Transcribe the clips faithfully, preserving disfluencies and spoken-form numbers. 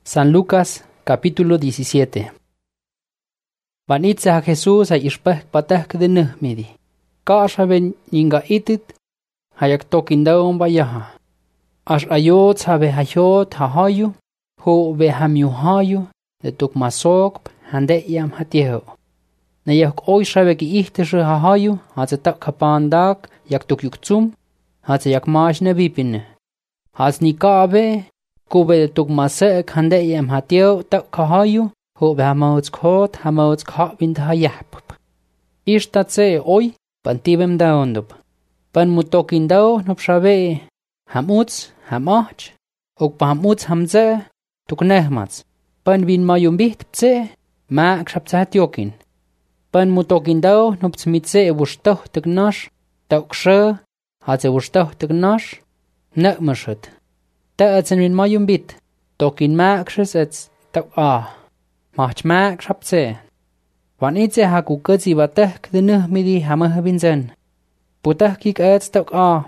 San Lucas, capítulo diecisiete. Vanitza a Jesús a ishpeh patak de nuhmidi. Kashaben ninga itit, hayak tokindaon bayaha. Ash ayot sabe hayot hahayu, ho be hamiuhayu, de tuk masok, hande yam hatieho. Na yak oi shabe ki ihtische hahayu, hatze tak kapandak, yak tuk yuktsum, hatze yak maash ne bipine. Hatz ni kaabe, Kube de tuk masek hande yam hatio tak kahayu, ho be hamauts kot, hamauts ka wind hayap. Ishtat se oi, pantibem daondup. Pan mutokin dao nup shabe, hamuts, hamach, ok pa hamuts hamze, tuk nehmats. Pan win mayumbit pse, maak shapzatiokin. Pan mutokin dao nup smitse wushtoh tuk nash, tak she, hatze wushtoh tuk nash, nekmashet. Ta etsen win mayumbit, tokin maakshes ets tak ah, mach maak shapze. Wan itse haku kutsi watek de nuhmidi hamah binzen. Putah kik ets tak ah,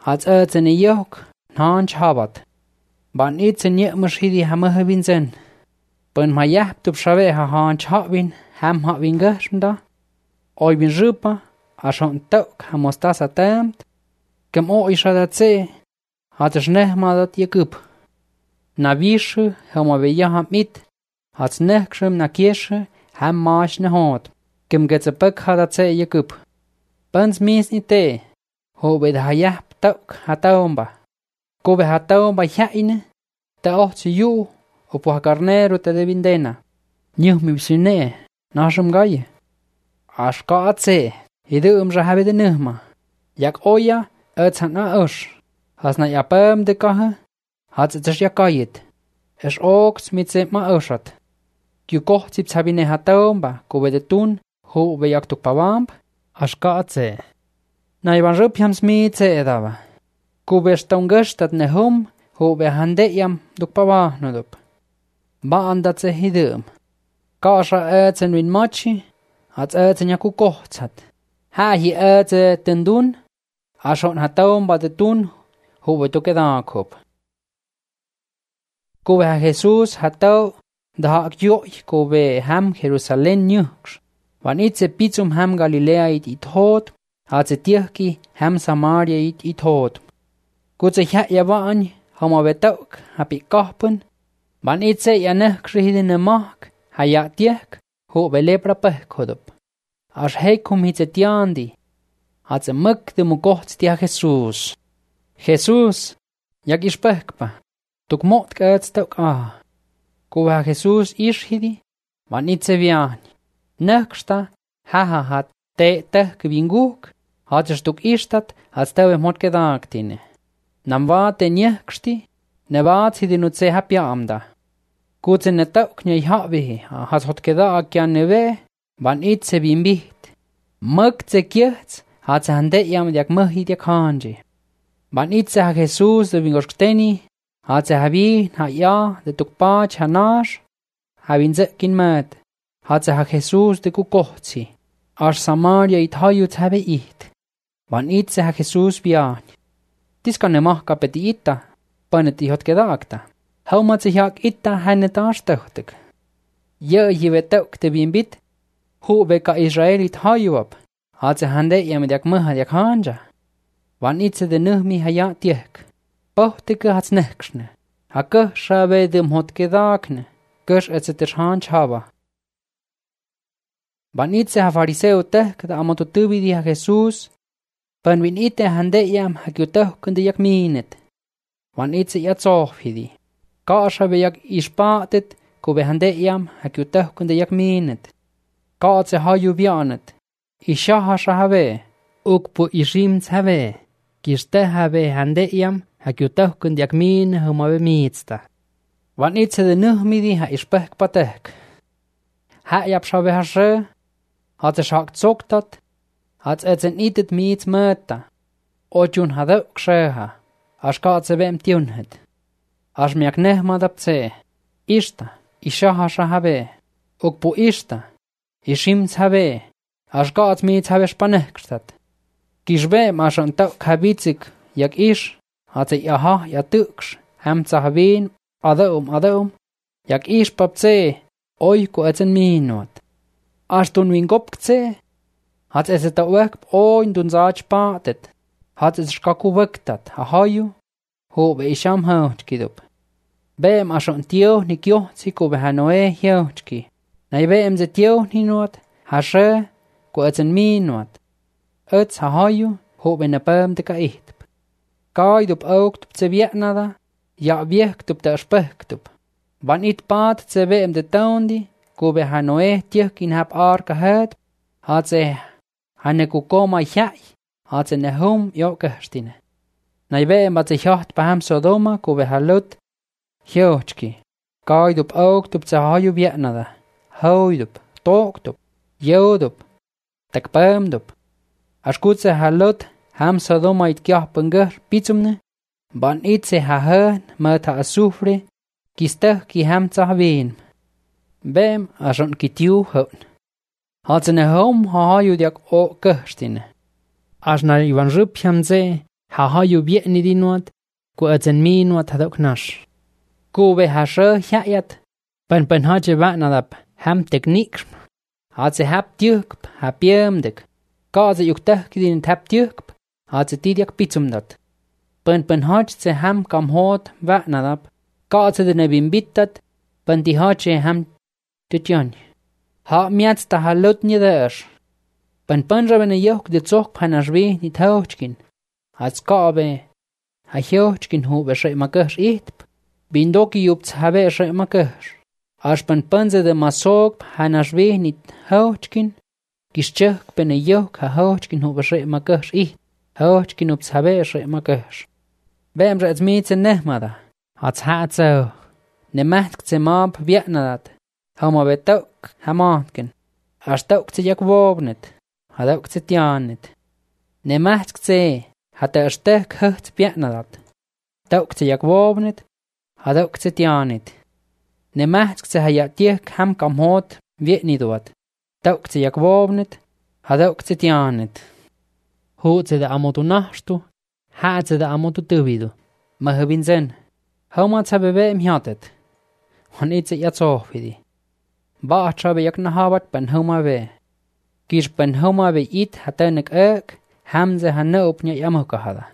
hats etsen e yok, naan chabat. Wan itse nyekmash hidi hamah binzen. Pen mayap tup shave ha haan chabin, ham ha wingashmda. Oi bin rupa, ashon tok hamostasa temt. Kem o ishadatse. Hat es nehmadat yekup. Na vische, hama veja ham mit. Hat's nehkschem na kiesche, ham maash ne hot. Kem getse pek hadat se yekup. Pens mis ni te. Hobe de hayap tok hataomba. Kobe hataomba yaine. Te ochtse yu, opo ha carnero te de vindena. Nyuh mi bisune, nashum gaye. Ashka atse, hidum jahabe de nuhma. Yak oya, etsan na osh. Has na yapem de kahe, hat es yakayet. Es oks mit se ma oshat. Kyu koch zip sabine hataomba, kobe de tun, ho be yak tuk pawamp, ashkatse. Na iban rup yams mit se edava. Kobe stongestat ne hum, ho be hande yam duk pawa nodup. Ba andat se hidum. Kasha etsen win machi, hat etsen yaku kochzat. Ha hi etze tendun, ashon hataomba de tun, Hobe toke dan kop. Kobe ha Jesus hatau da akjoi kobe ham Jerusalem nyux. Van itse pitsum ham Galilea it it hot, hatze tierki ham Samaria it it hot. Kutze ha yavan hama betauk hapi kahpen. Van itse ya nechkrihide ne mak ha ya tiek hobe lepra peh kodop. As heikum hitze tiandi. Hatze mek de mukocht tia Jesus. Jesus, jak ishpehkpa, tuk mot kaets tuk ah. Kuva Jesus ishhidi, van itse viani. Neksta, haha hat te tehk vinguk, hates tuk ishtat, hats tewe mot kedaktine. Nam vaate njeksti, ne vaatshidi nutse hapja amda. Kutse ne tuk njei havihi, hats hot kedakjan neve, van itse vimbit. Møkse kjehts, hats hande jam jak mëhid jak hanji. Van itse ha Jesus de vingorskteni, hatse havi ha ja de tukpach ha nash, ha vinzekin mad, hatse ha Jesus de kukohtsi, as Samaria it hajut have it. Van itse ha Jesus vian. Tiskan ne mahka peti ita, paneti hot kedakta. Haumatse jak ita hänne taas töhtig. Jö jive tök te vimbit, hu veka Israelit hajuap, hatse hande jamed jak mõhad jak hanja. Van itse de nuhmi haya tiek. Pohtike hats nechkshne. Ha kuh shabe de mhot kedakne. Kush etze ter hanch hava. Van itse ha fariseo tek da amoto tubidi ha Jesus. Pan vin ite hande yam ha kyutoh kunde jak minet. Van itse ya tsohfidi. Ka shabe jak ispatet kube hande yam ha kyutoh kunde jak minet. Ka atse haju vianet. Isha ha shahave. Ukpu ishim tsave. Kiste habe hande yam ha kyutoh kun jak min humave mitsta. Van itse de nuhmidi ha ishpehk patek. Ha yap shabe ha she, hat se shak zoktat, hat etsen itet miits möta. Otjun ha dök sheha, as kaatse vem tjunhet. As miak nehmadap tse, ishta, isha ha shahabe, ukpu ishta, ishimts habe, as kaats miits habe spanehkstat. Kishbe masan tok habitsik jak ish, hatse yaha ya tuks, hem tsahavin, adaum adaum, Jak ispap tse, oi ku etsen minuut. Astun win kop tse, hat es et uek oin dun saach paatet, hat es skaku wektat, ha haju, ho be isham houtkidup. Beem ason tio ni kjohtsi ku be hanoe houtki. Nai beem ze tio ni nuot, ha she, ku etsen minuut. Ets ha haju, ho be ne beem te ka ihtp. Kaidup auktup tse vietnada, ja viektup te spehktup. Van it paat tse beem de taundi, ku be hanoe tjohkin hap aarka het, hat ze hanne ku koma jai, hat ze ne hom jo kerstine. Nai beem wat ze jacht beham Sodoma ku be halut, Jootski, kaidup auktup tse haju vietnada, hoidup, tooktup, jodup, tak beemdup. As gut ze halut, ham Sodoma it kjahpengur pitsumne, van it ze ha heen, met ha asufre, kisteh ki ham tsa veen. Beem ason ki tiu hoon. Had ze ne hom ha haju diak o kerstine. As na iwan rup ham ze, ha haju vietni di nuot, ku etsen mi nuot hadok nash. Ku be ha she jajat, pen pen hadje vatnadap, ham techniek. Had ze hap tjukp, ha piemdik. Ka ze juk tehkidin hap tjukp, had ze tidiak pitsumdat. Pen pen hadje ze ham kam hoot vatnadap, ka ze de nebin bittat, pen di hadje ham tutjon. Ha miats ta halut nie der. Pen pen rabene juk de zog panashwe nit hootkin. Had ska be, ha hootkin hu be shai makers itp. Bindoki jup tsabe shai makers. As pen penze de masog panashwe nit hootkin. Kischuk bene juk ha hootkin hu be shai makers it. Hootkin up tsabe shai makers. Beem rets mietse nehmada. Had hat zo. Ne mahtk tse maap vietnadat. Hama be tok hamaatken. As tok tse jak wobnet. Ha tok tse tjanet. Ne mahtk tse. Hat er stek hucht vietnadat. Tok tse jak wobnet. Ha tok tse tjanet. Ne mahtk tse ha jak tiek ham kam hoot vietniduat. Tok tse jak wobnet. Ha tok tse tjanet. Hoot tse de amotu nahstu. Ha tse de amotu tuvidu. Ma hubin zen. Hama tse bebe im hiatet. Han itse ja zohvidi. Ba trabe jak nahabat ben homa ve. Kish ben homa ve it hatenek ek, hamze hanne opnya yamukahada.